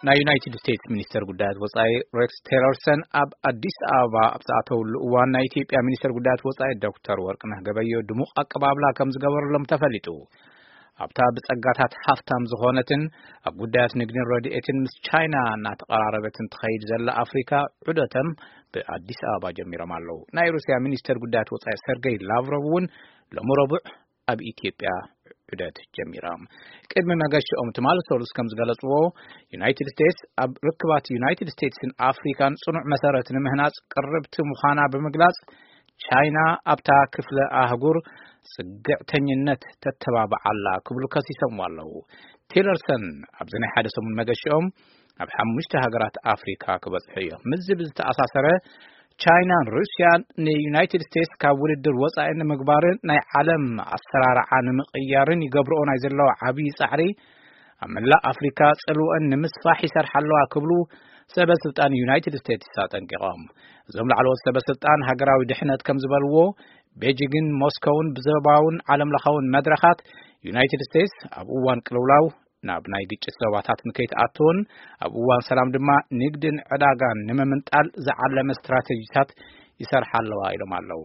ናይ ዩናይትድ ስቴትስ ሚኒስተር ጉዳያት ወጻኢ ሬክስ ቴለርሰን ኣብ ኣዲስ ኣበባ ኣብ ዝኣተውሉ እዋን፣ ናይ ኢትዮጵያ ሚኒስተር ጉዳያት ወጻኢ ዶክተር ወርቅነህ ገበዮ ድሙቕ ኣቀባብላ ከም ዝገበረሎም ተፈሊጡ። ኣብታ ብጸጋታት ሃፍታም ዝኾነትን ኣብ ጉዳያት ንግድን ረድኤትን ምስ ቻይና እናተቐራረበትን ትኸይድ ዘላ ኣፍሪካ፣ ዑደቶም ብኣዲስ ኣበባ ጀሚሮም ኣለዉ። ናይ ሩስያ ሚኒስተር ጉዳያት ወጻኢ ሰርገይ ላቭሮቭ እውን ሎሚ ረቡዕ ኣብ ኢትዮጵያ ዑደት ጀሚሮም። ቅድሚ መገሽኦም ትማሊ ሰሉስ ከም ዝገለጽዎ፣ ዩናይትድ ስቴትስ ኣብ ርክባት ዩናይትድ ስቴትስን ኣፍሪካን ጽኑዕ መሰረት ንምህናጽ ቅርብቲ ምዃና ብምግላጽ፣ ቻይና ኣብታ ክፍለ ኣህጉር ጽግዕተኝነት ተተባብዓላ ክብሉ ከሲሶምዎ ኣለዉ። ቲለርሰን ኣብዚ ናይ ሓደ ሰሙን መገሽኦም ኣብ ሓሙሽተ ሃገራት ኣፍሪካ ክበጽሑ እዮም። ምስዚ ብዝተኣሳሰረ፣ ቻይናን ሩስያን ንዩናይትድ ስቴትስ ካብ ውድድር ወጻኢ ንምግባርን ናይ ዓለም ኣሰራርዓ ንምቕያርን ይገብርኦ ናይ ዘለዋ ዓብዪ ጻዕሪ ኣብ መላእ ኣፍሪካ ጽልወን ንምስፋሕ ይሰርሓ ኣለዋ ክብሉ ሰበ ስልጣን ዩናይትድ ስቴትስ ኣጠንቂቖም። እዞም ላዕለዎት ሰበ ስልጣን ሃገራዊ ድሕነት ከም ዝበልዎ፣ ቤጂግን ሞስኮውን ብዞባውን ዓለምለኻውን መድረኻት ዩናይትድ ስቴትስ ኣብ እዋን ቅልውላው ናብ ናይ ግጭት ዞባታት ንከይትኣትውን፣ ኣብ እዋን ሰላም ድማ ንግድን ዕዳጋን ንምምንጣል ዝዓለመ ስትራተጂታት ይሰርሓ ኣለዋ ኢሎም ኣለዉ።